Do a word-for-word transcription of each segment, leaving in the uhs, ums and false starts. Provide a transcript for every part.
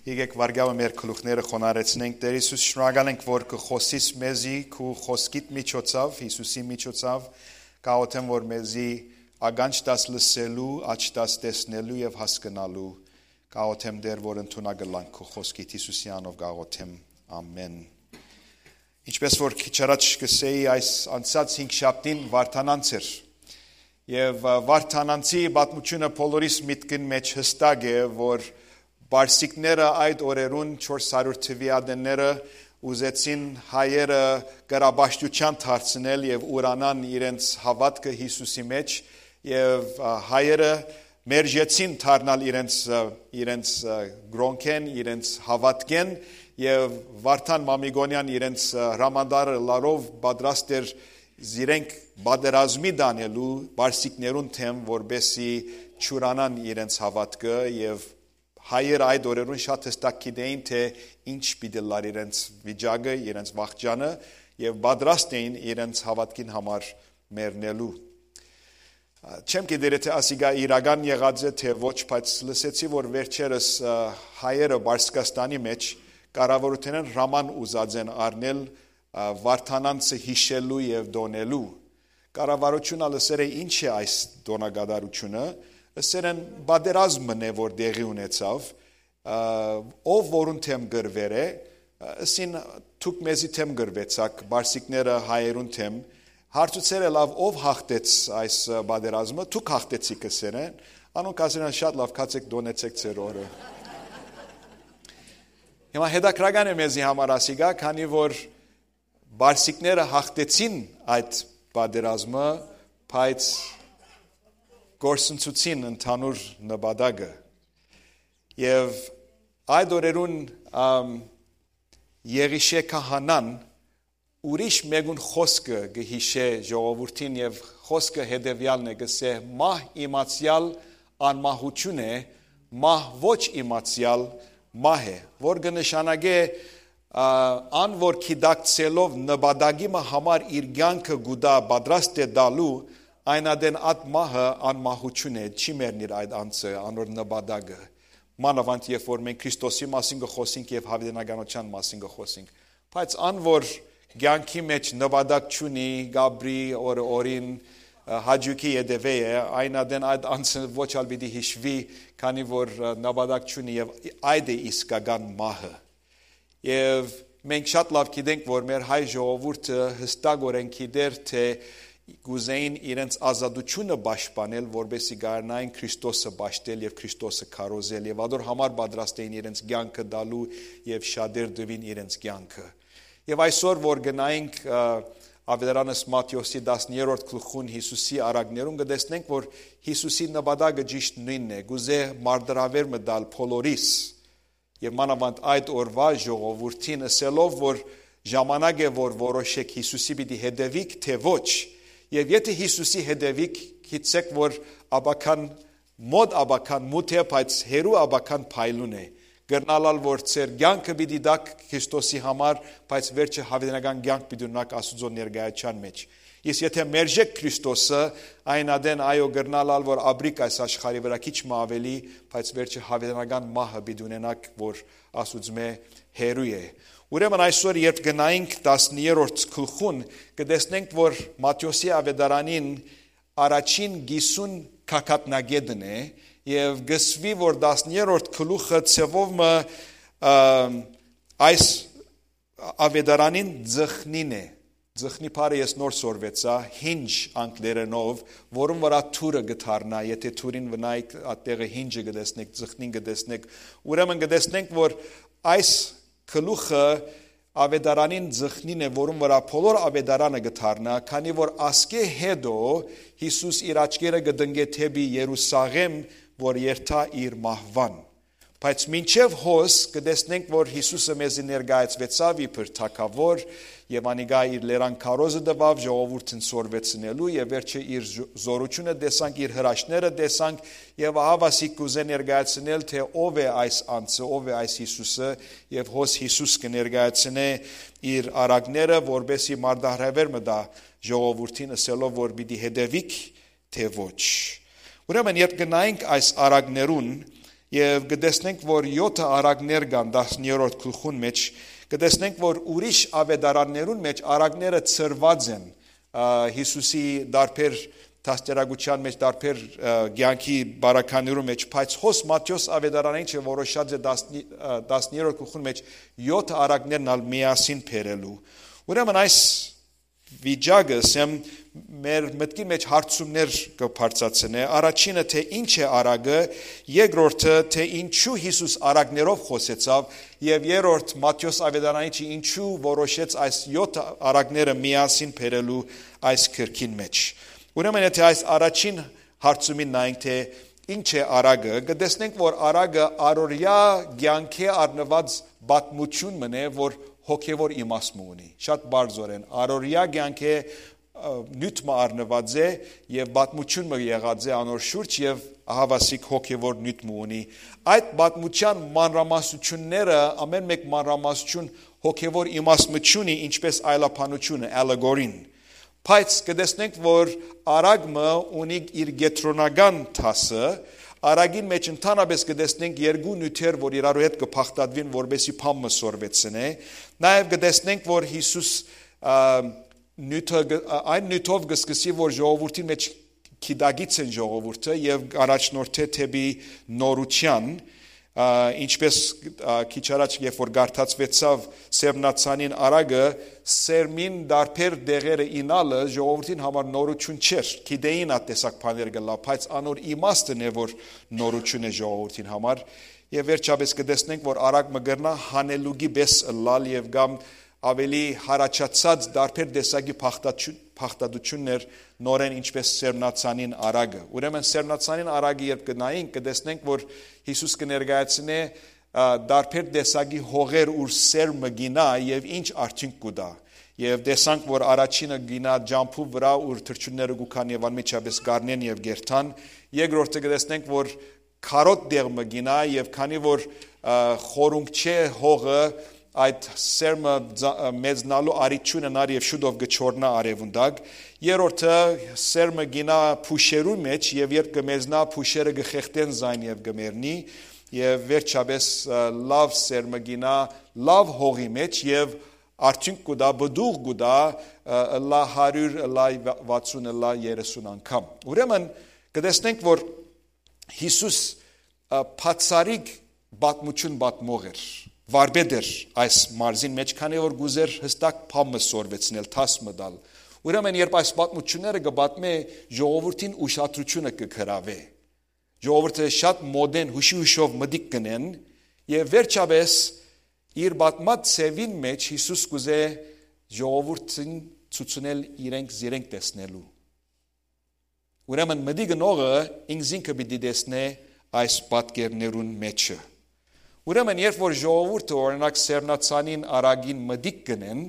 Եկեք վարկայով մեր գլուխները խոնարհեցնենք։ Տէր Յիսուս, շնորհակալ ենք, որ կը խօսիս մեզի քու խօսքիդ միջոցով, Յիսուսի միջոցով, կաղոթեմ, որ մեզի ականջ տաս լսելու, աջ տաս տեսնելու եւ հասկնալու, կաղոթեմ, Տէր, որ ընդունակ ըլլանք քու խօսքիդ, Յիսուսի անով կաղոթեմ, ամէն։ Ինչպես որ քիչ առաջ կ'ըսէի, այս անցած հինգշաբթին Վարդանանց էր։ Եւ, ը, Վարդանանցի պատմութիւնը բոլորիս միտքին մէջ յստակ է, որ պարսիկները այդ օրերուն, չորս հարիւր թուի ատենները, ուզեցին հայերը կրապաշտութեան դարձնել եւ ուրանան իրենց հաւատքը Յիսուսի մէջ, եւ, ը, հայերը մերժեցին դառնալ իրենց, ը, իրենց, ը, կրօնքէն, իրենց հաւատքէն, եւ Վարդան Մամիկոնեան իրենց, ը, հրամանտար ըլլալով պատրաստ էր զիրենք պատերազմի տանելու պարսիկներուն դէմ, որպէսզի չուրանան իրենց հաւատքը, եւ հայերը այդ օրերուն շատ յստակ գիտէին, թէ ինչ պիտի ըլլար իրենց վիճակը, իրենց վախճանը, եւ պատրաստ էին իրենց հաւատքին համար մեռնելու։ Չեմ գիտեր թէ ասիկա իրական եղած է թէ ոչ, բայց լսեցի, որ վերջերս, ը, հայերը Պարսկաստանի մէջ կառավարութենէն հրաման ուզած են առնել, ը, Վարդանանցը յիշելու եւ տօնելու։ Կառավարութիւնը լսեր է, ինչ է այս տօնակատարութիւնը, ըսեր են, պատերազմն է, որ տեղի ունեցաւ, ը, ով որուն դէմ կռուեր է, ը, ըսին, դուք մեզի դէմ կռուեցաք, պարսիկները հայերուն դէմ, հարցուցեր է, լաւ, ով հաղթեց այս, ը, պատերազմը, դուք հաղթեցիք, ըսեր են, անոնք ասեր են, շատ լաւ, գացեք, տօնեցեք ձեր օրը։ Հիմա հետաքրական է մեզի համար ասիկա, քանի որ պարսիկները հաղթեցին այդ պատերազմը, բայց կորսնցուցին ընդհանուր նպատակը։ Եւ այդ օրերուն, ամ, Եղիշէ քահանան ուրիշ մէկուն խօսքը կը յիշէ ժողովուրդին, եւ խօսքը հետեւեալն է, կ'ըսէ. «Մահ իմացեալ անմահութիւն է, մահ ոչ իմացեալ մահ է», որ կը նշանակէ, ա, ան որ գիտակցելով նպատակի մը համար իր կեանքը կու տայ, պատրաստ է տալու, այն ատեն այդ մահը անմահութիւն է, չի մեռնիր այդ անձը, անոր նպատակը։ Մանաւանդ երբ որ մենք Քրիստոսի մասին կը խօսենք եւ յաւիտենականութեան մասին կը խօսենք, բայց ան որ կեանքի մէջ նպատակ չունի, կ'ապրի օրը օրին, ը, հաճոյքի ետեւէ է, այն ատեն այդ անձը ոչ ալ պիտի յիշուի, քանի որ, ը, նպատակ չունի, եւ այդ է իսկական մահը։ Եւ մենք շատ լաւ գիտենք, որ մեր հայ ժողովուրդը յստակօրէն գիտեր թէ կ'ուզէին իրենց ազատութիւնը պաշտպանել, որպէսզի կարենային Քրիստոսը պաշտել եւ Քրիստոսը քարոզել, եւ ատոր համար պատրաստ էին իրենց կեանքը տալու, եւ շատեր տուին իրենց կեանքը։ Եւ այսօր որ գնայինք, ը, Աւետարանս Մատթէոսի տասներորդ գլխուն Յիսուսի առակներուն, կը տեսնենք, որ Յիսուսի նպատակը ճիշդ նոյնն է, կ'ուզէ մարտահրաւէր մը տալ բոլորիս, եւ մանաւանդ այդ օրուայ ժողովուրդին, ըսելով, որ ժամանակ է, որ որոշեք՝ Յիսուսի պիտի հետեւիք, թէ ոչ։ Եւ եթէ Յիսուսի հետեւիք, գիտցէք, որ աբական, մօտ աբական մութ է, բայց հեռու աբական փայլուն է։ Կրնալ ալ, որ ձեր կեանքը պիտի տաք Քրիստոսի համար, բայց վերջը յաւիտենական կեանք պիտի ունենաք Աստուծոյ ներկայութեան մէջ։ Իսկ եթէ մերժեք Քրիստոսը, այն ատեն, այո, կրնալ ալ, որ ապրիք այս աշխարհի վրայ քիչ մը աւելի, բայց վերջը յաւիտենական մահը պիտի ունենաք, որ Աստուծմէ հեռու է։ Ուրեմն այսօր, երբ գնայինք տասներորդ գլխուն, կը տեսնենք, որ Մատթէոսի Աւետարանին առաջին կիսուն գագաթնակետն է, եւ կ'ըսուի, որ տասներորդ գլուխը ձեւով մը, ը, այս Աւետարանին ծխնին է։ Ծխնի բառը ես նոր սորվեցայ, hinge անգլերէնով, որուն վրայ դուռը կը դառնայ, եթէ դուռին վնայք, ատտեղը hinge-ը կը տեսնեք, ծխնին կը տեսնեք, ուրեմն կը տեսնենք, որ այս գլուխը Աւետարանին ծխնին է, որուն վրայ բոլոր Աւետարանը կը դառնայ, քանի որ ասկէ հետո Յիսուս իր աչքերը կը տնկէ դէպի Երուսաղէմ, որ երթայ իր մահուան։ Բայց մինչեւ հոս կը տեսնենք, որ Յիսուսը մեզի ներկայացուեցաւ իբր թագաւոր, եւ անիկա իր լերան քարոզը տուաւ ժողովուրդին սորվեցնելու, եւ վերջը իր զո-, զօրութիւնը տեսանք, իր հրաշքները տեսանք, եւ ահա ասիկ կ'ուզէ ներկայացնել, թէ ով է այս անձը, ով է այս Յիսուսը, եւ հոս Յիսուս կը ներկայացնէ իր առակները, որպէսզի մարտահրաւէր մը տայ ժողովուրդին, ըսելով, որ պիտի հետեւիք, թէ ոչ։ Ուրեմն, երբ գնայինք այս առակներուն, Եւ կը տեսնենք, որ եօթը առակներ կան տասներորդ գլխուն մէջ, կը տեսնենք, որ ուրիշ աւետարաններուն մէջ առակները ցրուած են, ա, Յիսուսի դարբեր դաստիարակութեան մէջ, դարբեր, ա, կեանքի բարականերուն մէջ, բայց հոս Մատթէոս աւետարանին չէ որոշած է տասն-, ա, տասներորդ գլխուն մէջ եօթը առակներն ալ միասին բերելու։ Ուրեմն այս վիճակը, ասեմ, մեր մտքին մէջ հարցումներ կը բարձրացնէ։ Առաջինը, թէ ի՞նչ է առակը, երկրորդը, թէ ինչու Յիսուս առակներով խօսեցաւ, եւ երրորդ, Մատթէոս աւետարանիչը ինչու որոշեց այս եօթ առակները միասին բերելու այս գրքին մէջ։ Ուրեմն, եթէ այս առաջին հարցումին նայենք, թէ ի՞նչ է առակը, կը տեսնենք, որ առակը առօրեայ կեանքէ առնուած պատմութիւն մըն է, որ հոգեւոր իմաստ մը ունի։ Շատ բարձրորեն, առօրեայ կեանքէ, ը, նիւթ մը առնուած է եւ պատմութիւն մը եղած է անոր շուրջ եւ ահավասիկ հոգեւոր նիւթ մը ունի։ Այդ պատմութեան մանրամասնութիւնները, ամէն մէկ մանրամասնութիւն հոգեւոր իմաստ մը չունի, ինչպէս այլաբանութիւնը, ալեգորին։ Բայց կը տեսնենք, որ առակ մը ունի իր կեդրոնական դասը, առակին մէջ ընդհանրապէս կը տեսնենք երկու նիւթեր, որ իրարու հետ կը բաղդատուին, որպէսզի բան մը սորվեցնէ։ Նաեւ կը տեսնենք, որ Յիսուս, ա, նիւթը կը-, ա, այն նիւթով կը սկսի, որ ժողովուրդին մէջ գիտակից են ժողովուրդը եւ առաջնորդէ դէպի նորութեան, ա, ինչպէս, ա, քիչ առաջ, երբ որ կարդացուեցաւ սերմնացանին առակը, սերմին դարբեր դեղերը իյնալը ժողովուրդին համար նորութիւն չէր, գիտէին այդ տեսակ բաներ կ'ըլլայ, բայց անոր իմաստն է, որ նորութիւն է ժողովուրդին համար։ Եւ վերջապէս կը տեսնենք, որ առակ մը կրնայ հանելուկի պէս ըլլալ եւ կամ աւելի յառաջացած դարբեր տեսակի բաղդաչու-, բաղդատութիւններ նորէն, ինչպէս սերմնացանին առակը։ Ուրեմն սերմնացանին առակը երբ կը նայենք, կը տեսնենք, որ Յիսուս կը ներկայացնէ, ա, դարբեր տեսակի հողեր, ուր սերմը կ'իյնայ եւ ինչ արդիւնք կու տայ։ Եւ տեսանք, որ առաջինը կ'իյնայ ճամբու վրայ, ուր թռչունները կու գան եւ անմիջապէս կ'առնեն եւ կ'երթան։ Երկրորդը կը տեսնենք, որ քարոտ տեղ մը կ'իյնայ եւ քանի որ, ա, խորունկ չէ հողը, այդ սերմը ձա-, ը, մեծնալու առիթ չունենար եւ շուտով կը չորնայ արեւուն տակ։ Երրորդը, սերմը կ'իյնայ փուշերու մէջ եւ երբ կը մեծնայ, փուշերը կը խեղդեն զայն եւ կը մեռնի։ Եւ վերջապէս, ը, լաւ սերմը կ'իյնայ լաւ հողի մէջ եւ արդիւնք կու տայ, պտուղ կու տայ, ը, ըլլայ հարիւր, ըլլայ վա-, վաթսուն, ըլլայ երեսուն անգամ։ Ուրեմն կը տեսնենք, որ Յիսուս, ը, բացառիկ պատմութիւն պատմող էր, վարպետ էր այս մարզին մէջ, քանի որ կ'ուզէր յստակ բան մը սորվեցնել, դաս մը տալ։ Ուրեմն երբ այս պատմութիւնները կը պատմէ, ժողովուրդին ուշադրութիւնը կը գրաւէ։ Ժողովուրդը շատ մօտէն յուշի-յուշով մտիկ կ'ընեն եւ վերջապէս իր պատմած ձեւին մէջ Յիսուս կ'ուզէ ժողովուրդին ցուցնել իրենք զիրենք տեսնելու։ Ուրեմն մտիկ ընողը ինքզինքը պիտի տեսնէ այս պատկերներուն մէջը։ Ուրեմն երբ որ ժողովուրդը, օրինակ, սերմնացանին առակին մտիկ կ'ընեն,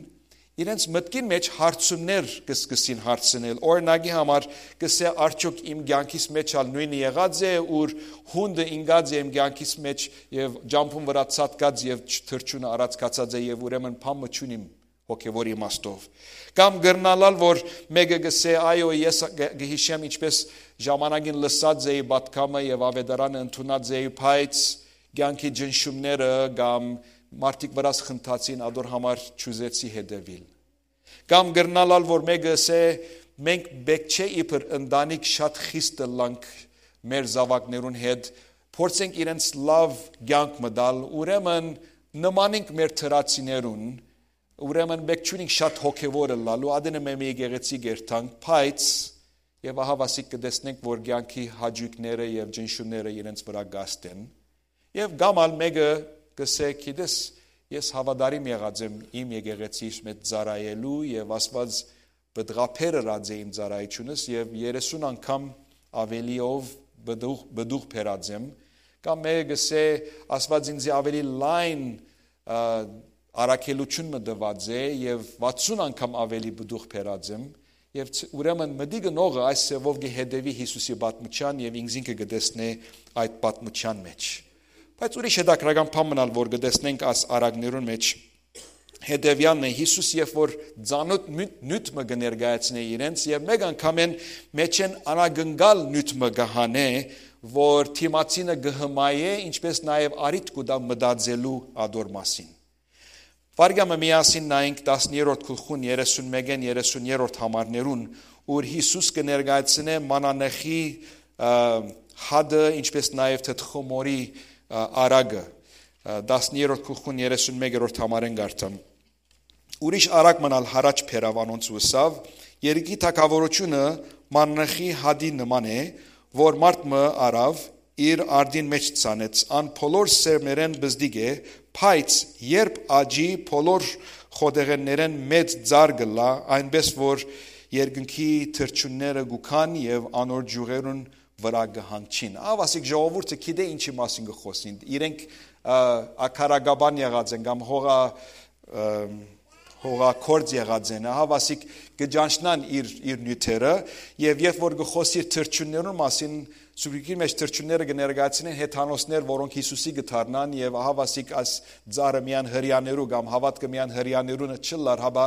իրենց մտքին մէջ հարցումներ կը սկսին հարցնել։ Օրինակի համար, կ'ըսէ, արդյոք իմ կեանքիս մէջ ալ նոյնը եղած է, ուր հունդը ինկած է իմ կեանքիս մէջ եւ ճամբուն վրայ ցատկած եւ թռչունը առած գացած է եւ ուրեմն բան մը չունիմ հոգեվոր իմաստով։ Կամ կրնալալ, որ մէկը կ'ըսէ, այո, ես կը, կը յիշեմ, ինչպէս ժամանակին լսած էի պատգամը եւ աւետարանը ընդունած էի, բայց կեանքի ճնշումները կամ մարդիկ վրաս խնդացին, ադոր համար չուզեցի հետեւիլ։ Կամ կրնալալ, որ մէկը ըսէ, մենք պէտք չէ իբր ընտանիք շատ խիստ ըլլանք մեր զաւակներուն հետ, փորձենք իրենց լաւ կեանք մը տալ, ուրեմն նմանենք մեր թրացիներուն, ուրեմն պէտք չունենք շատ հոգեվոր ըլլալու, ատենը մէ-, մէ եկեղեցի կ'երթանք, բայց եւ ահավասիկ կը տեսնենք, որ կեանքի հաճոյքները եւ ճնշումները իրենց վրայ կ'ազդեն։ Եւ կամ ալ մէկը կ'ըսէ, գիտես, ես հաւատարիմ եղած եմ իմ եկեղեցիս մէջ ծառայելու եւ Աստուած պտղաբեր ըրած է իմ ծառայությունս եւ երեսուն անգամ աւելիով պտուղ, պտուղ բերած եմ։ Կամ մէկը կ'ըսէ, Աստուած ինձի աւելի լայն, ա, առաքելութիւն մը տուած է եւ վաթսուն անգամ աւելի պտուղ բերած եմ։ Եւ ց-, ուրեմն մտիկ ընողը այս ձեւով կը հետեւի Յիսուսի պատմութեան եւ ինքզինքը կը տեսնէ այդ պատմութեան մէջ։ Բայց ուրիշ հետաքրական բան մնալ, որ կը տեսնենք այս առակներուն մէջ, հետեւեալն է, Յիսուս երբ որ ծանօթ նիւթ, նիւթ մը կը ներկայացնէ իրենց, եւ մէկ անգամէն մէջէն անակնկալ նիւթ մը կը հանէ, որ դիմացինը կը հմայէ, ինչպէս նաեւ առիթ կու տայ մտածելու ատոր մասին։ Վարկայ մը միասին նայենք տասներորդ գլխուն երեսունմէկէն երեսուներորդ համարներուն, ուր Յիսուս կը ներկայացնէ մանանեխի, ը, հատը, ինչպէս նաեւ թթխմորի, ը, արագը, ը, տասներորդ գլխուն երեսունմեկերորդ համարէն կ'արթամ։ Ուրիշ արագ մըն ալ յառաջ բերաւ անոնց ու ըսաւ. «Երկրի թագաւորութիւնը մանանեխի հատի նման է, որ մարդ մը առաւ, իր արդին մէջ ցանեց։ Ան բոլոր սերմերէն բզդիկ է, բայց երբ աճի, բոլոր խոտեղէններէն մեծ ծառ կ'ըլլայ, այնպէս որ երկնքի թռչունները կու գան եւ անոր ճիւղերուն վրայ կը հանգչին»։ Ահա ասիկ ժողովուրդը գիտէ ինչի մասին կը խօսին։ Իրենք, ը, ակարագաբան եղած են կամ հողա, ը, հողագործ եղած են։ Ահա ասիկ կը ճանչնան իր, իր նիւթերը, եւ երբ որ կը խօսի իր թռչուններուն մասին, Սուրբ Գիրքին մէջ թռչունները կը ներկայացնեն հեթանոսներ, որոնք Յիսուսի կը դառնան, եւ ահա ասիկ այս ծառը միայն հրեաներու կամ հաւատքը միայն հրեաներուն չըլլար, հապա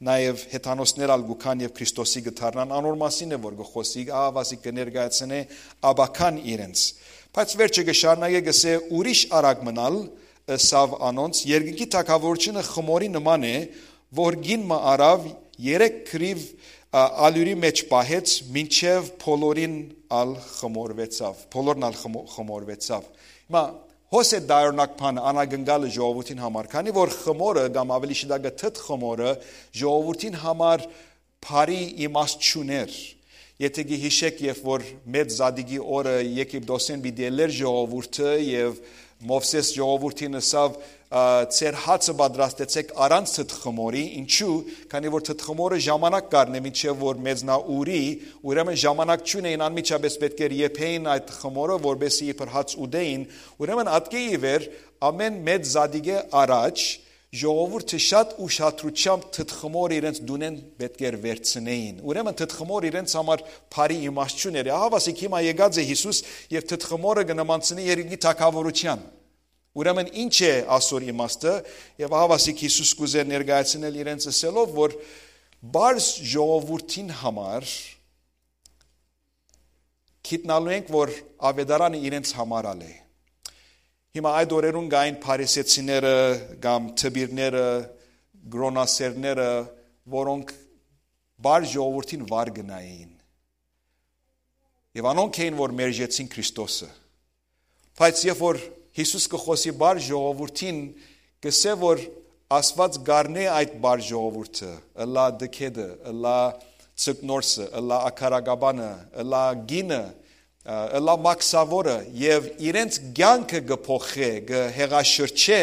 նաեւ հեթանոսներ ալ կու գան եւ Քրիստոսի կը դառնան, անոր մասին է որ կը խօսի, ահա ասիկ կը ներկայացնէ ապագան իրենց։ Բայց վերջը կը շարունակէ, կ'ըսէ. «Ուրիշ արագ մըն ալ ըսաւ անոնց. երկնքի թագաւորութիւնը խմորի նման է, որ կին մը առաւ, երեք կռիւ, ա, ալիւրի մէջ պահեց, մինչեւ բոլորին ալ խմորուեցաւ, բոլորն ալ խմո-, խմորուեցաւ»։ Հիմա հոս է դարօրինակ բանը, անակնկալը ժողովուրդին համար, քանի որ խմորը կամ ավելի շուտ թթ խմորը ժողովուրդին համար բարի իմաստ չունէր։ Եթէ կը յիշէք, երբ որ Մեծ Զատիկի օրը Եգիպտոսէն պիտի ելլէր ժողովուրդը եւ Մովսէս ժողովուրդին ըսաւ, ա, «Ձեր հացը պատրաստեցէք առանց թթ խմորի»։ Ինչու՞, քանի որ թթ խմորը ժամանակ կ'առնէ մինչեւ որ մեծնայ, ուռի, ուրեմն ժամանակ չունէին, անմիջապէս պէտք էր եփէին այդ խմորը, որպէս զի իբր հաց ուտէին։ Ուրեմն ատկէ ի վեր, ամէն Մեծ Զատիկէ առաջ ժողովուրդը շատ ուշադրութեամբ թթ խմորը իրենց տունէն պէտք էր վերցնէին։ Ուրեմն թթ խմոր իրենց համար բարի իմաստ չունէր։ Ահա ասիկ հիմա եկած է Յիսուս եւ թթ խմորը կը նմանցնի երկրի թագաւորութեան։ Ուրեմն ի՞նչ է ասոր իմաստը, եւ ահա ասիկ Յիսուս կ'ուզէ ներկայացնել իրենց ըսելով, որ պարզ ժողովուրդին համար գիտնալու ենք, որ աւետարանը իրենց համար ալ է։ Հիմա այդ օրերուն կային փարիսեցիները կամ դպիրները, կրոնասերները, որոնք պարզ ժողովուրդին վար գնային։ Եւ անոնք էին, որ մերժեցին Քրիստոսը։ Բայց երբ որ Յիսուս կը խօսի պարզ ժողովուրդին, կ'ըսէ, որ Աստուած կ'առնէ այդ պարզ ժողովուրդը, ըլլայ տգէտը, ըլլայ ձկնորսը, ըլլայ ակարագաբանը, ըլլայ կինը, ը, ըլլայ մաքսաւորը, եւ իրենց կեանքը կը փոխէ, կը հեղաշրջէ,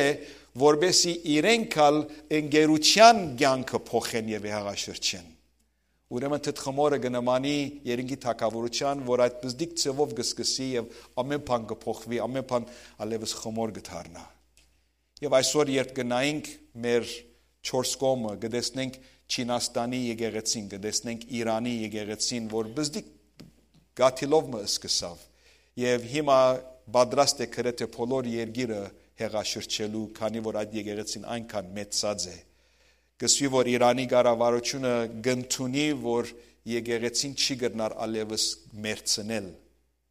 որպէս զի իրենք ալ ընկերութեան կեանքը փոխեն եւ հեղաշրջեն։ Ուրեմն թթ խմորը կը նմանի երկրի թագաւորութեան, որ այդ պզտիկ ձեւով կը սկսի եւ ամէն բան կը փոխուի, ամէն բան ալեւս խմոր կը դառնայ։ Եւ այսօր, երբ կը նայենք մեր չորս կողմը, կը տեսնենք Չինաստանի եկեղեցին, կը տեսնենք Իրանի եկեղեցին, որ պզտիկ կաթիլով մը սկսաւ, եւ հիմա պատրաստ է գրեթէ բոլոր երկիրը հեղաշրջելու, քանի որ այդ եկեղեցին այնքան մեծացած է։ Կ'ըսուի, որ Իրանի կառավարութիւնը կ'ընդունի, որ եկեղեցին չի կրնար ալեւս մերցնել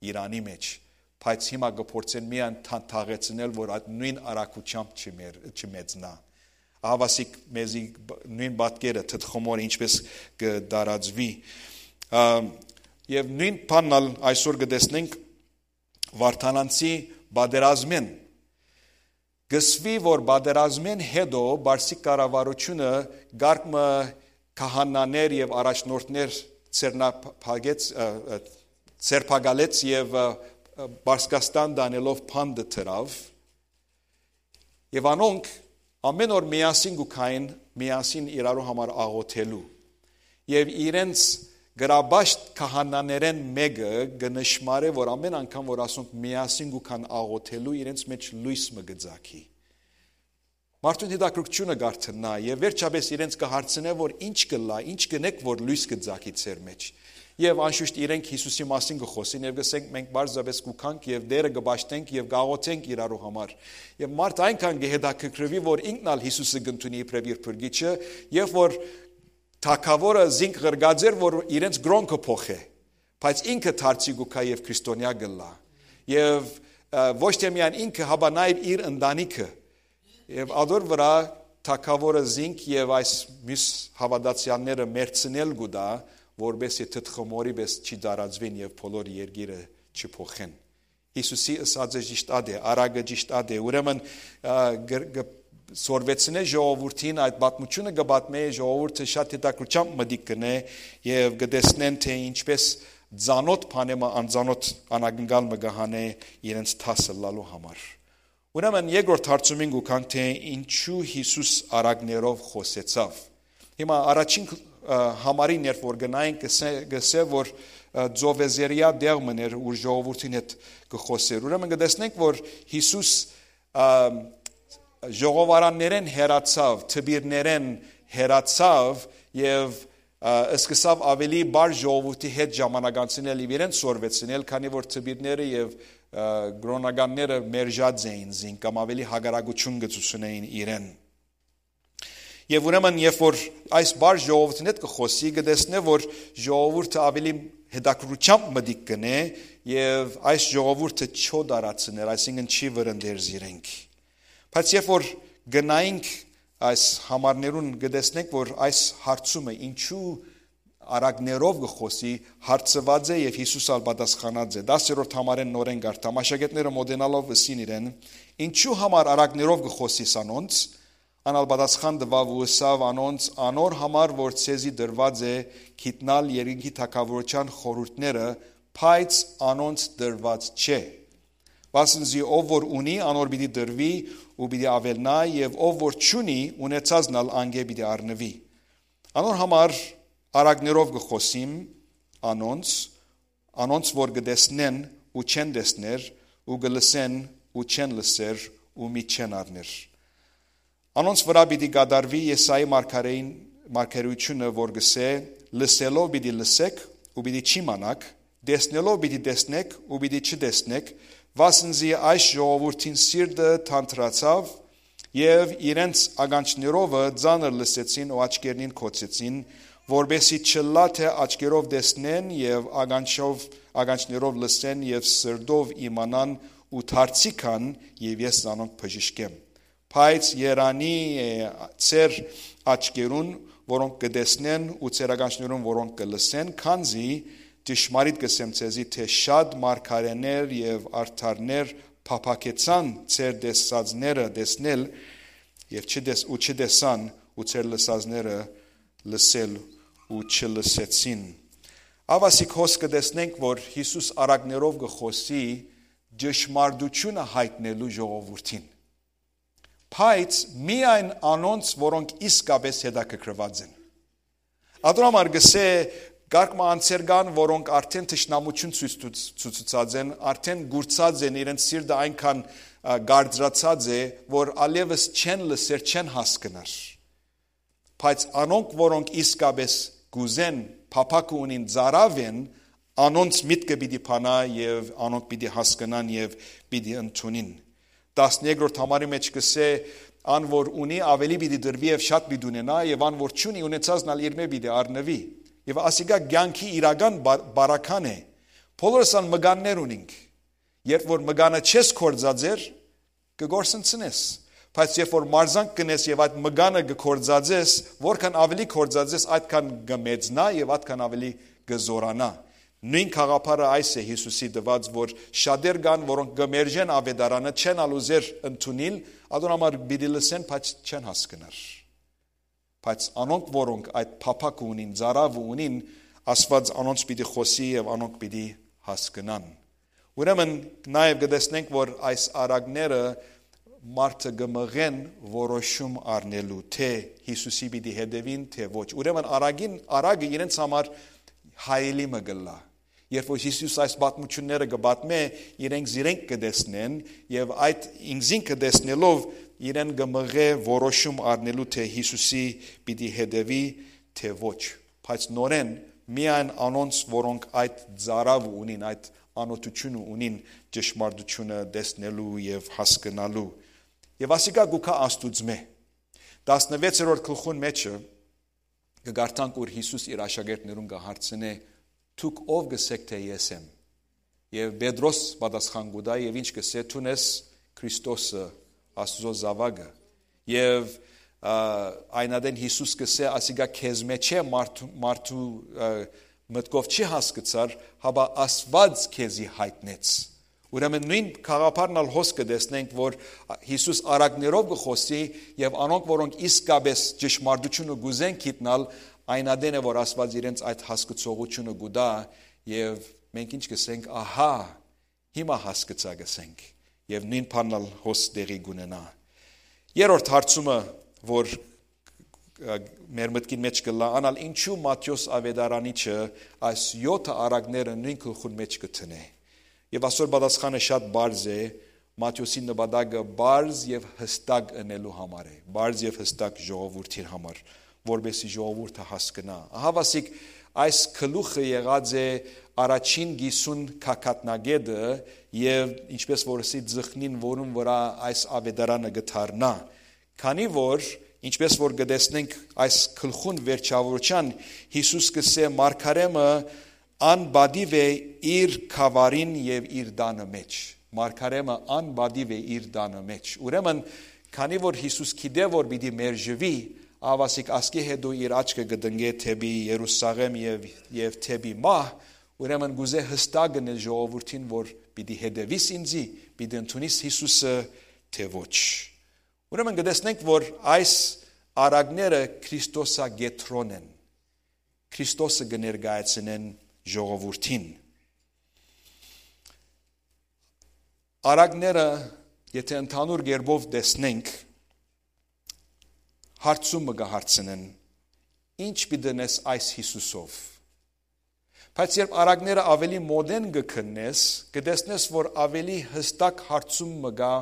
Իրանի մէջ, բայց հիմա կը փորձեն միայն թան-, թաղեցնել, որ այդ նոյն արագութեամբ չմեր-, չմեծնայ։ Ահավասիկ մեզի բ-, նոյն պատկերը թթ խմորը ինչպէս կը տարածուի։ Ա, եւ նոյն բանն ալ այսօր կը տեսնենք Վարդանանցի պատերազմէն։ Կ'ըսուի, որ պատերազմէն յետոյ պարսիկ կառավարութիւնը կարգ մը քահանաներ եւ առաջնորդներ ձեռնափակեց, ը, ը, ձերբակալեց եւ, ը, ը, Պարսկաստան տանելով բանտը դրաւ։ Եւ անոնք ամէն օր միասին կու քային, միասին իրարու համար աղոթելու։ Եւ իրենց գրաբաշտ քահանաներէն մէկը կը նշմարէ, որ ամէն անգամ որ ասոնք միասին կու քան աղոթելու, իրենց մէջ լոյս մը կը ծագի։ Մարդուն հետաքրքրութիւնը կ'արթնայ եւ վերջապէս իրենց կը հարցնէ, որ ինչ կ'ըլլայ, ինչ կ'ընէք, որ լոյս կը ծագի ձեր մէջ։ Եւ անշուշտ իրենք Յիսուսի մասին կը խօսին եւ կ'ըսենք, մենք պարզապէս կու գանք եւ Տէրը կը պաշտենք եւ կ'աղօթենք իրարու համար։ Եւ մարդ այնքան կը հետաքրքրուի, որ ինքն ալ Յիսուսը կ'ընդունի իբրեւ իր փրկիչը, եւ որ թագաւորը զինք ղրկած էր, որ իրենց կրօնքը փոխէ, բայց ինքը դարձի կու գայ եւ քրիստոնեայ կ'ըլլայ։ Եւ, ը, ոչ թե միայն ինքը, հապա նաեւ իր ընտանիքը։ Եւ ադոր վրայ թագաւորը զինք եւ այս միւս հաւատացեալները մերցնել կու տայ, որպէս զի թթխմորի պէս չի տարածուին եւ բոլոր երկիրը չի փոխեն։ Յիսուսի ըսածը ճիշդ ատ է, արագը ճիշտ ատ է։ Ուրեմն, ը, գ-, գ-, սորվեցնէ ժողովուրդին, այդ պատմությունը կը պատմէ, ժողովուրդը շատ հետաքրքրությամբ մտիկ կ'ընէ եւ կը տեսնեն, թե ինչպէս ծանօթ բանէ մը անծանօթ անակնկալ մը կը հանէ իրենց դաս ըլլալու համար։ Ուրեմն երկրորդ հարցումին կու գանք, թե ինչու Յիսուս արագներով խօսեցաւ։ Հիմա առաջին, ը, համարին երբ որ գնայինք, կ'ըսէ, կ'ըսէ, որ, ը, ծովեզերեայ տեղ մըն էր, ուր ժողովուրդին հետ կը խօսէր։ Ուրեմն կը տեսնենք, որ Յիսուս, ը, ժողովարաններէն հեռացաւ, դպիրներէն հեռացաւ եւ, ը, սկսաւ աւելի բարդ ժողովուրդի հետ ժամանակ անցնել եւ իրեն սորվեցնել, քանի որ դպիրները եւ, ը, կրօնականները մերժած էին զինք կամ աւելի հակառակութիւն կը ցուցունէին իրեն։ Եւ ուրեմն, երբ որ այս բարդ ժողովուրդին հետ կը խօսի, կը տեսնէ, որ ժողովուրդը աւելի հետաքրքրությամբ մտիկ կ'ընէ եւ այս ժողովուրդը չօ տարածներ, այսինքն չի վրընդեր զիրենք։ Բայց երբ որ գնայինք այս համարներուն, կը տեսնենք, որ այս հարցումը, ինչու արագներով կը խօսի, հարցուած է եւ Յիսուս ալ պատասխանած է։ Տասերորդ համարէն նորէն կարդամ։ Աշակերտները մոտենալով ըսին իրեն. «Ինչու համար արագներով կը խօսիս անոնց»։ Ան ալ պատասխան տուաւ ու ըսաւ անոնց. «Անոր համար, որ ձեզի տրուած է գիտնալ երկնքի թագաւորութեան խորհուրդները, բայց անոնց տրուած չէ։ Վասն զի ով որ ունի, անոր պիտի տրուի ու պիտի աւելնայ, եւ ով որ չունի, ունեցածն ալ անկէ պիտի առնուի։ Անոր համար արագներով կը խօսիմ անոնց, անոնց որ կը տեսնեն ու չեն տեսներ, ու կը լսեն ու չեն լսեր ու միտք չեն առներ։ Անոնց վրայ պիտի կատարուի Եսայի մարգարէին, մարգարեութիւնը, որ կ'ըսէ. "Լսելով պիտի լսեք ու պիտի չիմանաք, տեսնելով պիտի տեսնեք ու պիտի չտեսնեք, վասն զի այս ժողովուրդին սիրտը թանթրացաւ, եւ իրենց ականջներովը ծանր լսեցին ու աչքերնին կոցեցին, որպեսզի չըլլայ թէ աչքերով տեսնեն եւ ականջով, ականջներով լսեն եւ սրտով իմանան ու դարձի գան, եւ ես զանոնք բժշկեմ։ Բայց երանի է ձեր աչքերուն, որոնք կը տեսնեն, ու ձեր ականջներուն, որոնք կը լսեն, քանզի ճշմարիտ կ'ըսեմ ձեզի, թէ շատ մարգարէներ եւ արդարներ փափաքեցան ձեր տեսածները տեսնել, եւ չտես-, ու չտեսան, ու ձեր լսածները լսել ու չլսեցին"։ Ահա ասիկ հոս կը տեսնենք, որ Յիսուս արագներով կը խօսի ճշմարտութիւնը յայտնելու ժողովուրդին, բայց միայն անոնց, որոնք իսկապէս հետաքրքրուած են։ Ատոր համար կ'ըսէ, կարգ մը անձեր կան, որոնք արդէն թշնամութիւն ցոյց տուց-, ցուցուցած են, արդէն կուրցած են, իրենց սիրտը այնքան, ա, կարծրացած է, որ ալեւս չեն լսեր, չեն հասկնար։ Բայց անոնք, որոնք իսկապէս կ'ուզեն, փափաքը ունին, ծարաւ են, անոնց միտքը պիտի բանայ եւ անոնք պիտի հասկնան եւ պիտի ընդունին։ Տասներկրորդ համարի մէջ կ'ըսէ. "Ան որ ունի, աւելի պիտի տրուի եւ շատ պիտի ունենայ, եւ ան որ չունի, ունեցածն ալ իրմէ պիտի առնուի"։ Եւ ասիկա կեանքի իրական բա-, բարական է։ Բոլորս ան մկաններ ունինք։ Երբ որ մկանը չես կործածեր, կը կորսնցնես։ Բայց երբ որ մարզանք կ'ընես եւ այդ մկանը կը կործածես, որքան աւելի կործածես, այդքան կը մեծնայ եւ այդքան աւելի կը զօրանայ։ Նոյն գաղափարը այս է Յիսուսի տուած, որ շատեր կան, որոնք կը մերժեն աւետարանը, չեն ալ ուզեր ընդունիլ, ատոր համար պիտի լսեն, բայց չեն հասկնար։ Բայց անոնք, որոնք այդ փափաքը ունին, ծարաւը ունին, Աստուած անոնց պիտի խօսի եւ անոնք պիտի հասկնան։ Ուրեմն, նաեւ կը տեսնենք, որ այս արագները մարդը կը մղեն որոշում առնելու, թէ Յիսուսի պիտի հետեւին, թէ ոչ։ Ուրեմն, արագին, արագը իրենց համար հայելի մը կ'ըլլայ։ Երբ որ Յիսուս այս պատմութիւնները կը պատմէ, իրենք զիրենք կը տեսնեն եւ այդ ինքզինքը տեսնելով իրեն կը մղէ որոշում առնելու, թէ Յիսուսի պիտի հետեւի, թէ ոչ։ Բայց նորէն միայն անոնց, որոնք այդ ծարաւը ունին, այդ անօթութիւնը ունին ճշմարտութիւնը տեսնելու եւ հասկնալու։ Եւ ասիկա կու գայ Աստուծմէ։ Տասնվեցերորդ գլխուն մէջը կը կարդանք, ուր Յիսուս իր աշակերտներուն կը հարցնէ. «Դուք ո՞վ կ'ըսէք թէ ես եմ»։ Եւ Պետրոս պատասխան կու տայ եւ ինչ կ'ըսէ. «Դուն ես Քրիստոսը, Աստուծոյ զաւակը»։ Եւ, ա, այն ատեն Յիսուս կ'ըսէ. «Ասիկա քեզմէ չէ, մարդու, մարդու, ա, մտքով չի հասկցար, հապա Աստուած քեզի յայտնեց»։ Ուրեմն նոյն գաղափարն ալ հոս կը տեսնենք, որ Յիսուս առակներով կը խօսի եւ անոնք, որոնք իսկապէս ճշմարտութիւնը կ'ուզեն գիտնալ, այն ատեն է, որ Աստուած իրենց այդ հասկցողութիւնը կու տայ եւ մենք ինչ կ'ըսենք. «Ահա, հիմա հասկցայ», կ'ըսենք, եւ նոյն բանն ալ հոս տեղի կ'ունենայ։ Երրորդ հարցումը, որ, ը, մեր մտքին մէջ կ'ըլլայ, ան ալ ինչու Մատթէոս աւետարանիչը այս եօթը առակները նոյն գլխուն մէջ կը դնէ։ Եւ ասոր պատասխանը շատ պարզ է, Մատթէոսին նպատակը պարզ եւ յստակ ընելու համար է, պարզ եւ յստակ ժողովուրդին համար, որպեսզի ժողովուրդը հասկնայ։ Ահա, ասիկ, այս գլուխը եղած է առաջին կիսուն գագաթնակէտը եւ, ինչպէս որ ըսի, ծխնին, որուն վրայ այս աւետարանը կը դառնայ։ Քանի որ, ինչպէս որ կը տեսնենք այս գլխուն վերջաւորութեան, Յիսուս կ'ըսէ. «Մարգարէ մը անպատիւ է իր գաւառին եւ իր տանը մէջ»։ Մարգարէ մը անպատիւ է իր տանը մէջ։ Ուրեմն, քանի որ Յիսուս գիտէ որ պիտի մերժուի, ահա, ասիկ, ասկէ հետո իր աչքը կը տնկէ դէպի Երուսաղէմ եւ, եւ դէպի մահ, ուրեմն կ'ուզէ յստակ ընել ժողովուրդին, որ պիտի հետեւիս ինծի, պիտի ընդունիս Յիսուսը, թէ ոչ։ Ուրեմն կը տեսնենք, որ այս առակները Քրիստոսակեդրոն են, Քրիստոսը կը ներկայացնեն ժողովուրդին։ Առակները, եթե ընդհանուր կերպով տեսնենք, հարցում մը կը հարցնեն. «Ի՞նչ պիտի ընես այս Յիսուսով»։ Բայց երբ առակները աւելի մօտէն կը քննես, կը տեսնես, որ աւելի յստակ հարցում մը կայ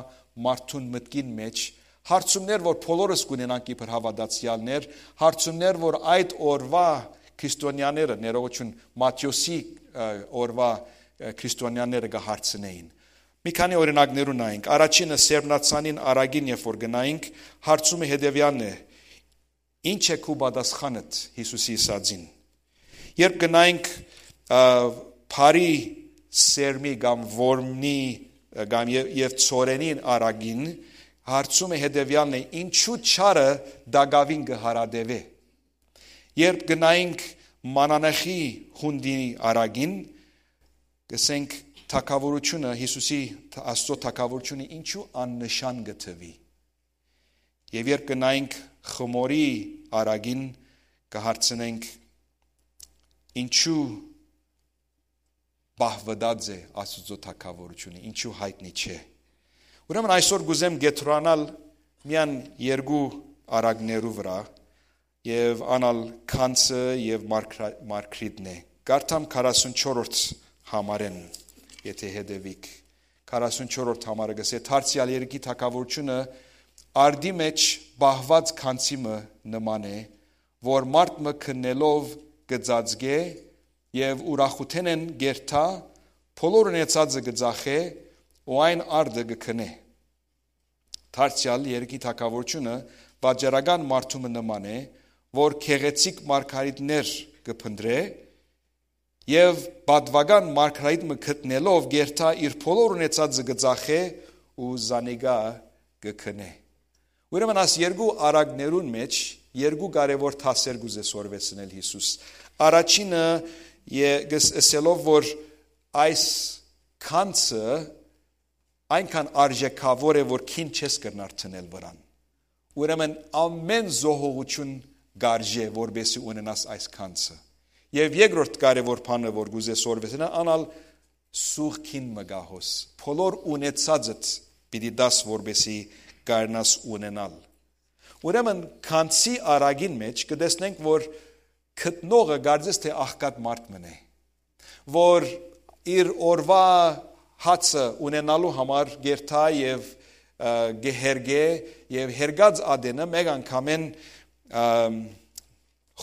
մարդուն մտքին մէջ, հարցումներ, որ բոլորս կ'ունենանք իբր հաւատացեալներ, հարցումներ, որ այդ օրուայ քրիստոնեաները, ներողություն, Մատթէոսի, ը, օրուայ, ը, քրիստոնեաները կը հարցնէին։ Մի քանի օրինակներու նայենք։ Առաջինը, Սերմնացանին առակին երբ որ գնայինք, հարցումը հետեւեալն է. «Ի՞նչ է քու պատասխանդ Յիսուսի ըսածին»։ Երբ գնայինք, ա, բարի սերմի կամ որմնի, ա, կամ ե-, եւ ցորենին առակին, հարցումը հետեւեալն է. ինչու չարը տակաւին կը հարատեւէ։ Երբ գնայինք մանանեխի յունտի առակին, կ'ըսենք, թագաւորութիւնը, Յիսուսի, Աստուծոյ թագաւորութիւնը ինչու աննշան կը թուի։ Եւ երբ գնայինք խմորի առակին, կը հարցնենք. ինչու պահուըտած է Աստուծոյ թագաւորութիւնը, ինչու յայտնի չէ։ Ուրեմն այսօր կ'ուզեմ կեդրոնանալ միայն երկու առակներու վրայ, եւ ան ալ գանձը եւ մարգրա-, մարգրիտն է։ Կարդամ քառասունչորրորդ համարէն, եթե հետեւիք։ Քառասունչորրորդ համարը կ'ըսէ. «Դարձեալ երկրի թագաւորութիւնը արդի մէջ պահուած գանձի մը նման է, որ մարդ մը քննելով կը ծածկէ եւ ուրախութենէն կ'երթայ, բոլոր ունեցածը կը ծախէ ու այն արդը կը քննէ։ Դարձեալ երկրի թագաւորութիւնը վաճառական մարդու մը նման է, որ գեղեցիկ մարգարիտներ կը փնտռէ եւ պատուական մարգարիտ մը գտնելով կ'երթայ, իր բոլոր ունեցածը կը ծախէ ու զանիկա կը քննէ»։ Ուրեմն այս երկու առակներուն մէջ երկու կարեւոր դասեր կ'ուզէ սորվեցնել Յիսուս։ Առաջինը, ե-, գս-, ըսելով, որ այս գանձը այնքան արժեքաւոր է, որ քին չես կրնար դնել վրան։ Ուրեմն ամէն զոհողութիւն կ'արժէ, որպեսզի ունենաս այս գանձը։ Եւ երկրորդ կարեւոր բանը, որ կ'ուզէ սորվեցնել, ան ալ սուղ քին մը կայ հոս։ Բոլոր ունեցածդ պիտի տաս, որպեսզի կարենաս ունենալ։ Ուրեմն գանձի առակին մէջ կը տեսնենք, որ գտնողը կարծես թէ աղքատ մարդ մըն է, որ իր օրուայ հացը ունենալու համար կ'երթայ եւ, ը, կը հերկէ, եւ հերկած ատենը մէկ անգամէն, ը,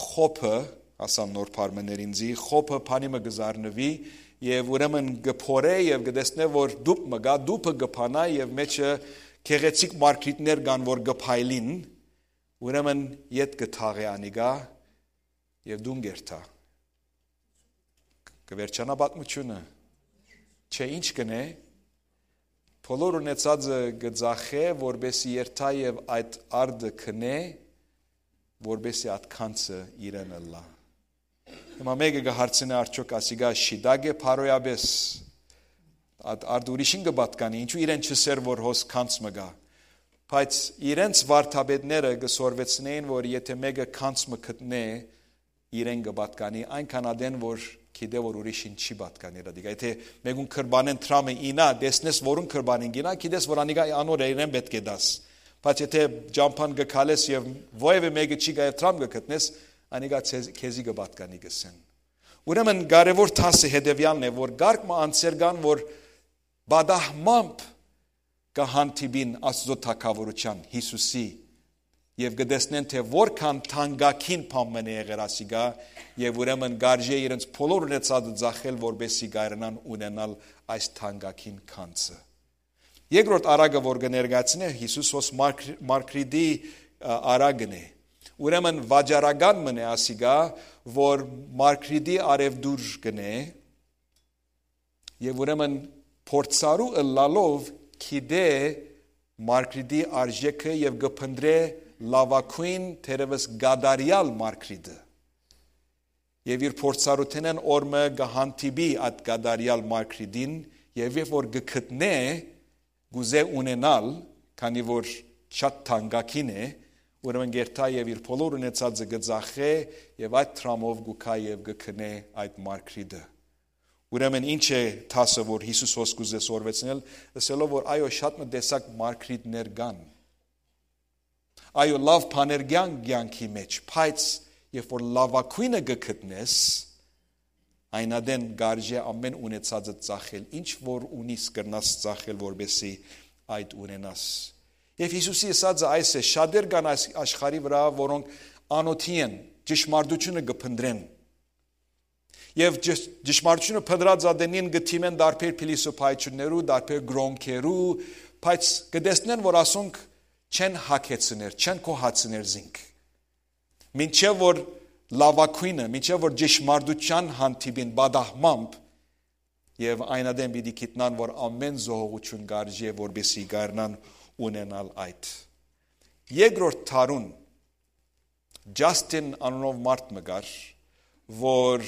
խոբը Ասան նոր բառ մը ներ ինձի, խոփը բանի մը կը զարնուի, եւ ուրեմն կը փորէ եւ կը տեսնէ որ դուփ մը կայ, դուփը կը փանայ եւ մեջը գեղեցիկ մարգրիտներ կան որ կը փայլին, ուրեմն ետ կը թաղէ անիկա եւ տուն կ'երթայ։ Կը վերջանա պատմութիւնը։ Չէ, ինչ կ'ընէ։ Բոլոր ունեցածը կը ձախէ, որպէսզի երթայ եւ այդ արդը քնէ, որպէսզի այդ գանձը իրեն ըլլայ։ Հիմա մէկը կը հարցնէ, արդյոք ասիկա շիտա՞կ է բարոյապէս։ Այդ արդ ուրիշին կը պատկանի, ինչու իրեն չըսեր որ հոս գանձ մը կայ։ Բայց իրենց վարդապետները կը սորվեցնէին որ եթէ մէկը գանձ մը գտնէ, իրեն կը պատկանի, այնքան ատեն որ գիտէ որ ուրիշին չի պատկանի։ Դիկա, եթէ մէկուն կրբանեն դրամը ինայ, տեսնես որուն կրբանին գինայ, գիտես որ անիկա անոր է, իրեն պէտք է տաս։ Բայց եթէ ճամբան կը քալես եւ որեւէ մէկը չի գայ եւ դրամ կը գտնես, անիկա քեզի կը պատկանի, կ'ըսեն։ Ուրեմն կարեւոր դասը հետեւեալն է որ կարգ մը անձեր կան որ պատահմամբ կը հանդիպին Աստուծոյ թագաւորութեան, Յիսուսի, եւ կը տեսնեն թէ որքան թանկագին բան մը եղեր ասիկա, եւ ուրեմն կարժէ իրենց բոլոր ունեցածը ձախել որպէսզի կարենան ունենալ այս թանկագին գանձը։ Երկրորդ արագը որ կը ներկայացնէ Յիսուս հոս մարգրիտի արագն է։ Ուրեմն վաճառական մն է ասիկա, որ մարգրիտի արեւտուր կ'ընէ, եւ ուրեմն փորձառու ըլլալով գիտէ մարգրիտի արժէքը եւ կը փնտռէ լաւագոյն, թերեւս կատարեալ մարգրիտը։ Եւ իր փորձառութենէն օր մը կը հանդիպի այդ կատարեալ մարգրիտին, եւ երբ որ կը գտնէ, կ'ուզէ ունենալ, քանի որ շատ թանկագին է, ուրեմն կ'երթայ եւ իր բոլոր ունեցածը կը ձախէ, եւ այդ դրամով կու գայ եւ կը գնէ այդ մարգրիտը։ Ուրեմն ի՞նչ է դասը որ Յիսուս հոս կ'ուզէ սորվեցնել, ըսելով որ այո, շատ մը տեսակ մարգրիտներ կան։ Այո, լաւ բաներ կան կեանքի մէջ, բայց երբ որ լաւագոյնը կը գտնես, այն ատեն կարժէ ամէն ունեցածը ծախել, ինչ որ ունիս կրնաս ծախել որպեսզի այդ ունենաս։ Եւ Յիսուսի ըսածը այս է. շատեր կան այս աշխարհի վրայ որոնք անօթի են, ճշմարտութիւնը կը փնտռեն, եւ ճշ- ճշմարտութիւնը փնտռած ատենին կը դիմեն տարբեր փիլիսոփայություններու, տարբեր կրօնքերու, բայց կը տեսնեն որ ասոնք չեն հագեցներ, չեն գոհացներ զինք, մինչեւ որ լաւագոյնը, մինչեւ որ ճշմարտութեան հանդիպին պատահմամբ, եւ այն ատեն պիտի գիտնան որ ամէն զոհողութիւն կարժէ որպեսզի կարենան ունենալ այդ։ Երկրորդ դարուն Ջասթին անունով մարդ մը կար, որ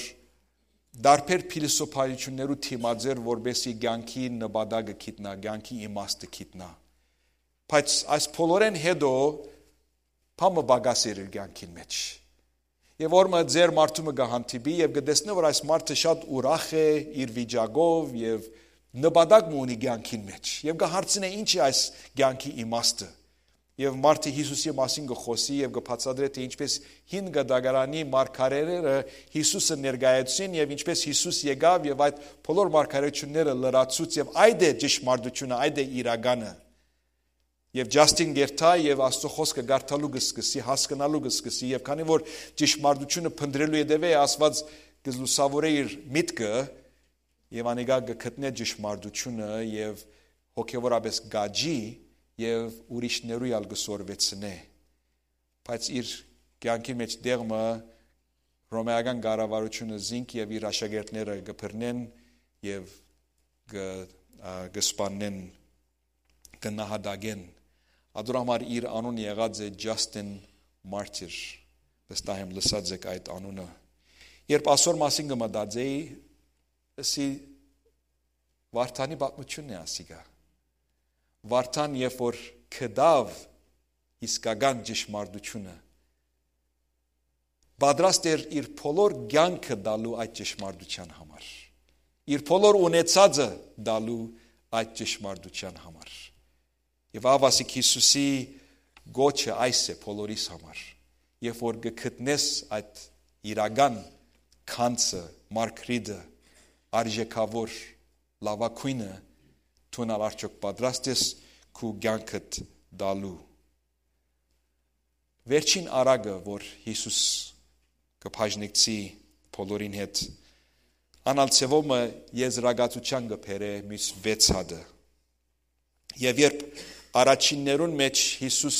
տարբեր փիլիսոփայություններու դիմաց էր որպեսզի կեանքի նպատակը գիտնայ, կեանքի իմաստը գիտնայ։ Բայց այս բոլորէն հետո բան մը պակաս էր իր կեանքին մէջ։ Եւ օր մը ձեր մարդու մը կը հանդիպի եւ կը տեսնէ որ այս մարդը շատ ուրախ է իր վիճակով եւ նպատակ մը ունի կեանքին մէջ, եւ կը հարցնէ. ինչ է այս կեանքի իմաստը։ Եւ մարդը Յիսուսի մասին կը խօսի եւ կը բացատրէ թէ ինչպես հին կտակարանի մարգարեները Յիսուսը ներկայացուցին եւ ինչպես Յիսուս եկաւ եւ այդ բոլոր մարգարեությունները լրացուց, եւ այդ է ճշմարտությունը, այդ է իրականը։ Եվ Ջասթին կ'երթայ եւ Աստծո խօսքը կարդալու կը սկսի, հասկնալու կը սկսի, եւ քանի որ ճշմարտությունը փնտռելու ետեւէ Աստուած կը լուսաւորէ իր միտքը, եւ անիկա կը գտնէ ճշմարտությունը եւ հոգեւորապէս կ'աճի եւ ուրիշներու ալ կը սորվեցնէ։ Բայց իր կեանքի մէջ դեղ մը հռոմէական կառավարութիւնը զինք եւ իր աշակերտները կը բռնեն եւ կը, ա, կը սպաննեն, կը նահատակեն։ Ատոր համար իր անունը եղած է Justin Martyr։ Վստահ եմ լսած եք այդ անունը։ Երբ ասոր մասին կը մտածեի, ըսի Վարդանի պատմությունն է ասիկա։ Վարդան երբ որ գտաւ իսկական ճշմարտությունը, պատրաստ էր իր բոլոր կեանքը տալու այդ ճշմարտության համար, իր բոլոր ունեցածը տալու այդ ճշմարտության համար։ Եվ ահա ասիկ Յիսուսի գոչը այս է բոլորիս համար. երբ որ կը գտնես այդ իրական գանձը, մարգրիտը, արժեքավոր լաւագոյնը, դուն ալ արդյոք պատրաստ ես քու կեանքդ տալու։ Վերջին արագը որ Յիսուս կը բաժնեկցի բոլորին հետ։ Անալ ձեւով մը եզրակացութեան կը բերէ մյուս վեց հատը։ Եւ երբ առաջիններուն մէջ Յիսուս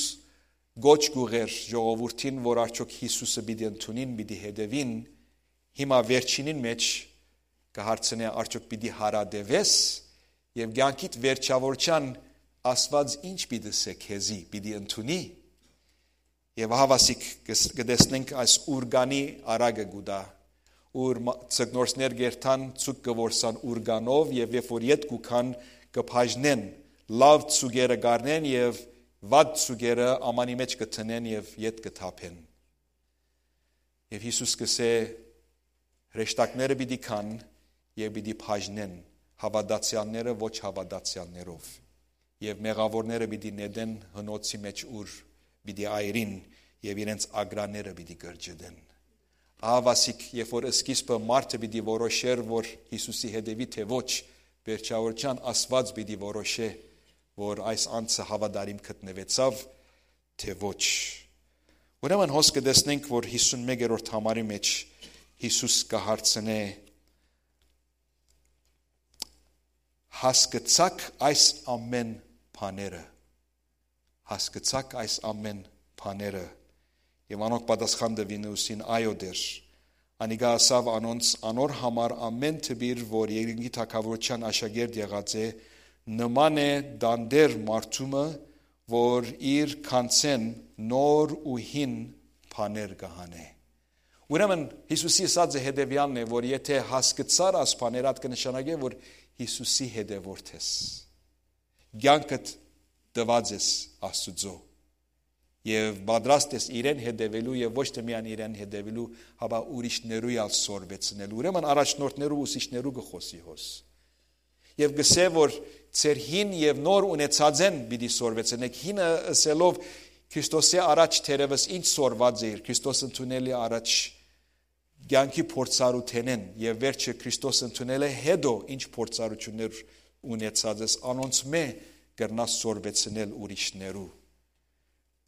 կոչ կ'ուղեր ժողովուրդին, որ արդյոք Յիսուսը պիտի ընդունին, պիտի հետեւին, հիմա վերջինին մէջ կը հարցնէ, արդյոք պիտի հարատեւես, եւ կեանքիդ վերջաւորութեան Աստուած ինչ պիտի ըսէ քեզի, պիտի ընդունի։ Եւ ահա ասիկ կը ս-, կը տեսնենք այս ուրկանի արագը կու տայ, ուր մա-, ձկնորսներ կ'երթան, ձուկ կը որսան ուրկանով, եւ երբ որ ետ կու գան, կը բաժնեն, լաւ ձուկերը կ'առնեն եւ վատ ձուկերը ամանի մէջ կը դնեն եւ ետ կը թափեն։ Եւ Յիսուս կ'ըսէ. «Հրեշտակները պիտի գան եւ պիտի բաժնեն, հաւատացեալները ոչ հաւատացեալներով, եւ մեղաւորները պիտի նետեն հնոցի մէջ, ուր պիտի այրին, եւ իրենց ագրանները պիտի կրճտեն»։ Ահա ասիկ, երբ որ սկիզբը մարդը պիտի որոշէր, որ Յիսուսի հետեւի թէ ոչ, վերջաւորութեան Աստուած պիտի որոշէ, որ այս անձը հաւատարիմ գտնուեցաւ թէ ոչ։ Ուրեմն հոս կը տեսնենք, որ հիսուն մեկերորդ համարի մէջ Յիսուս կը հարցնէ. «Հասկցա՞ք այս ամէն բաները»։ «Հասկցա՞ք այս ամէն բաները»։ Եւ անոնք պատասխան տուին ու ըսին. «Այո, Տէր»։ Անիկա ըսաւ անոնց. «Անոր համար ամէն դպիր, որ երկնքի թագաւորութեան աշակերտ եղած է, նման է տանտէր մարդու մը, որ իր գանձէն նոր ու հին բաներ կը հանէ»։ Ուրեմն Յիսուսի ըսածը հետեւեալն է, որ եթէ հասկցար աս բաները, ատ կը նշանակէ, որ Յիսուսի հետեւորդ ես, կեանքդ տուած ես Աստուծոյ եւ պատրաստ ես իրեն հետեւելու, եւ ոչ թէ միայն իրեն հետեւելու, հապա ուրիշներու ալ սորվեցնելու։ Ուրեմն առաջնորդներու, ուսուցիչներու կը խօսի հոս։ Եւ կ'ըսէ, որ ձեր հին եւ նոր ունեցածէն պիտի սորվեցնէք։ Հինը ըսելով, Քրիստոսի առաջ թերեւս ինչ սորված էիր, Քրիստոս ընդունելի առաջ կեանքի փորձառութենէն, եւ վերջը Քրիստոս ընդունելէ հետո ինչ փորձառութիւններ ունեցած ես, անոնցմէ կրնաս սորվեցնել ուրիշներու։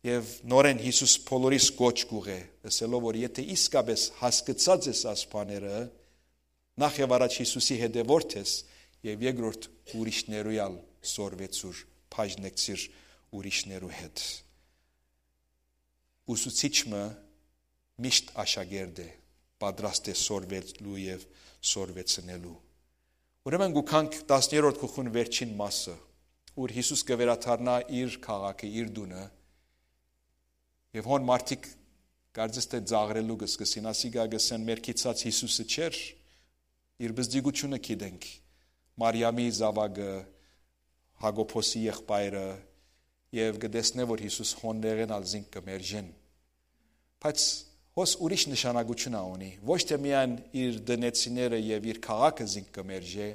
Եւ նորէն Յիսուս բոլորիս կոչ կ'ուղղէ, ըսելով, որ եթէ իսկապէս հասկցած ես աս բաները, նախ եւ առաջ Յիսուսի հետեւորդ ես, եւ երկրորդ, ուրիշներու ալ սորվեցուր, բաժնեկցիր ուրիշներու հետ։ Ուսուցիչ մը միշտ աշակերտ է, պատրաստ է սորվելու եւ սորվեցնելու։ Ուրեմն գուքանք տասներորդ գլխուն վերջին մասը, ուր Յիսուս կը վերադառնայ իր քաղաքը, իր տունը, եւ հոն մարդիկ կարծես թէ ծաղրելու կը սկսին, ասիկա կ'ըսեն. «Մեր գիծած Յիսուսը չէր, իր բզդիկութիւնը գիտենք, Մարիամի զաւակը, Յակոբոսի եղբայրը», եւ կը տեսնէ, որ Յիսուս հոններէն ալ զինք կը մերժեն։ Բայց հոս ուրիշ նշանակութիւն ա ունի, ոչ թէ միայն իր տնեցիները եւ իր քաղաքը զինք կը մերժէ,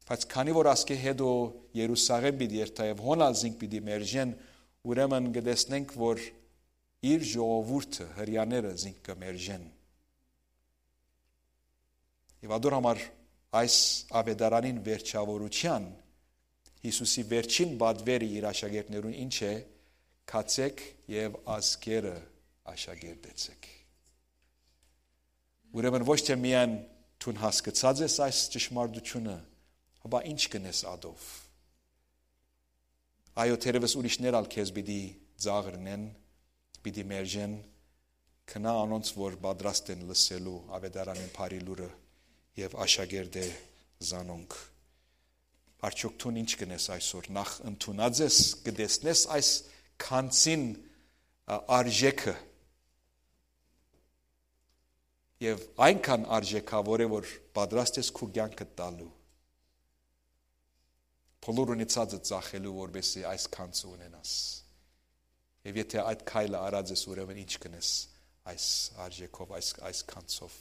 բայց քանի որ ասկէ հետո Երուսաղէմ պիտի երթայ եւ հոն ալ զինք պիտի մերժեն, ուրեմն կը տեսնենք, որ իր ժողովուրդը, հրեաները զինք կը մերժեն։ Եւ ադոր համար այս աւետարանին վերջաւորութեան Յիսուսի վերջին պատվերը իր աշակերտներուն ինչ է. «Գացէք եւ ազգերը աշակերտեցէք»։ Ուրեմն ոչ թէ միայն դուն հասկցած ես այս ճշմարտութիւնը, հապա ինչ կ'ընես ադով։ Այո, թերեւս ուրիշներ ալ քեզ պիտի ծաղրնեն, պիտի մերժեն, գնա անոնց, որ պատրաստ են լսելու աւետարանին բարի լուրը եւ աշակերտե զանոնք։ Արդյոք դուն ինչ կ'ընես այսօր, նախ ընդունած ես, կը տեսնես այս գանձին, ա, արժեքը, եւ այնքան արժեքաւոր է, որ պատրաստ ես քու կեանքդ տալու, բոլոր ունեցածը ծախելու, որպեսզի այս գանձը ունենաս։ Եւ եթէ այդ քայլը արած ես, ուրեմն ինչ կ'ընես այս արժեքով, այս, այս գանձով։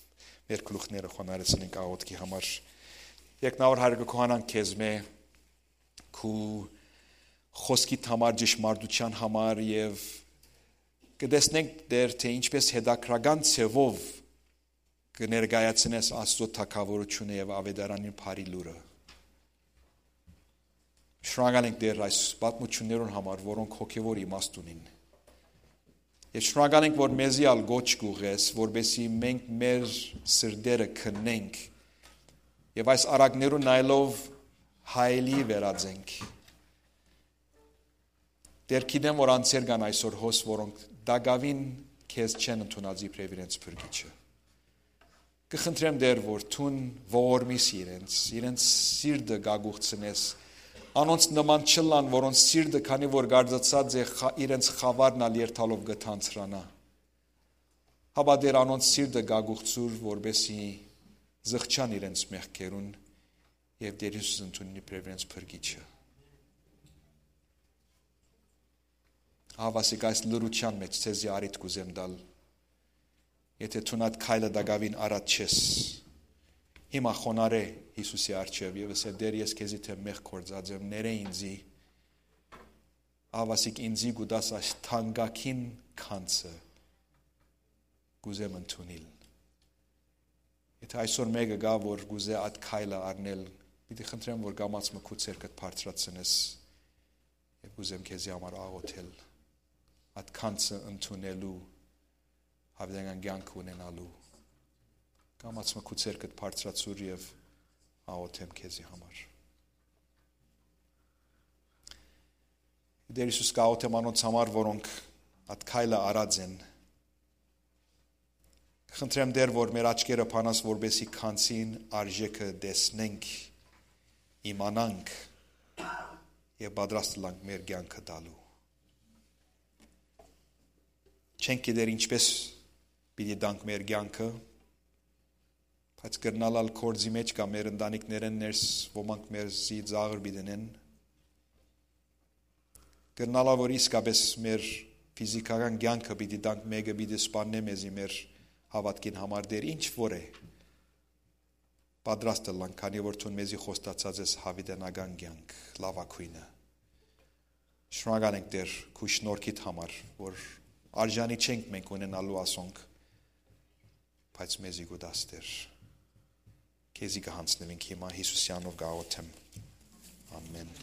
Մեր գլուխները խոնարհեցնենք աղօթքի համար։ Երկնաւոր Հայր, կը գոհանանք քեզմէ, քու խօսքիդ համար, ճշմարտութեան համար, եւ կը տեսնենք, Տէր, թէ ինչպէս հետաքրական ձեւով կը ներկայացնես Աստուծոյ թագաւորութիւնը եւ աւետարանին բարի լուրը։ Շնորհակալ ենք, Տէր, այս պատմութիւններուն համար, որոնք հոգեւոր իմաստ ունին։ Եւ շնորհակալ ենք, որ մեզի ալ կոչ կ'ուղղես, որպեսզի մենք մեր սրտերը քննենք եւ այս առակներուն նայելով հայելի վերածենք։ Տէր, գիտեմ, որ անձեր կան այսօր հոս, որոնք տակաւին քեզ չեն ընդունած իբրեւ իրենց փրկիչը։ Կը խնդրեմ, Տէր, որ դուն ողորմիս իրենց, իրենց սիրտը կագուխցնես, անոնց նման չըլլան, որոնց սիրտը, քանի որ գարձացած է, խա-, իրենց խաւարն ալ երթալով կը թանցրանայ։ Հապա, Տէր, անոնց սիրտը կագուխցուր, որպեսզի զղջան իրենց մեղքերուն եւ Տէր Յիսուս ընդունին իբրեւ իրենց փրկիչը։ Ահա, ասիկա, այս լռութեան մէջ ձեզի առիթ կ'ուզեմ տալ։ Եթէ դուն այդ քայլը տակաւին առած չես, հիմա խոնարհէ Յիսուսի առջեւ եւ ըսէ. «Տէր, ես քեզի դէմ մեղք գործած եմ, ներէ ինծի»։ Ահա, ասիկ, ինծի կու տաս այս թանկագին գանձը, կ'ուզեմ ընդունիլ։ Եթէ այսօր մէկը կայ, որ կ'ուզէ այդ քայլը առնել, պիտի խնդրեմ, որ կամաց մը քու ձեռքդ բարձրացնես եւ կ'ուզեմ քեզի համար աղոթել, այդ գանձը ընդունելու, յաւիտենական կեանքը ունենալու։ Կամաց մը քու ձեռքդ բարձրացուր եւ աղոթեմ քեզի համար։ Տէր Յիսուս, կաղոթեմ անոնց համար, որոնք այդ քայլը առած են։ Խնդրեմ, Տէր, որ մեր աչքերը բանաս, որպեսզի գանձին արժէքը տեսնենք, իմանանք եւ պատրաստ ըլլանք մեր կեանքը տալու։ Չենք գիտեր ինչպէս պիտի տանք մեր կեանքը, բայց կրնալ ալ գործի մէջ կայ, մեր ընտանիքներէն ներս ոմանք մեզի ծաղր պիտի ընեն։ Կրնալ ալ, որ իսկապէս մեր ֆիզիքական կեանքը պիտի տանք, մէկը պիտի սպաննէ մեզի մեր հաւատքին համար, Տէր, ինչ որ է, պատրաստ ըլլանք, քանի որ դուն մեզի խոստացած ես յաւիտենական կեանք, լաւագոյնը։ Շնորհակալ ենք, Տէր, քու շնորհքիդ համար, որ արժանի չենք մենք ունենալու ասոնք, բայց մեզի կու տաս, Տէր։ Քեզի կը յանձնուինք հիմա, Յիսուսի անունով կ'աղոթեմ։ Ամեն։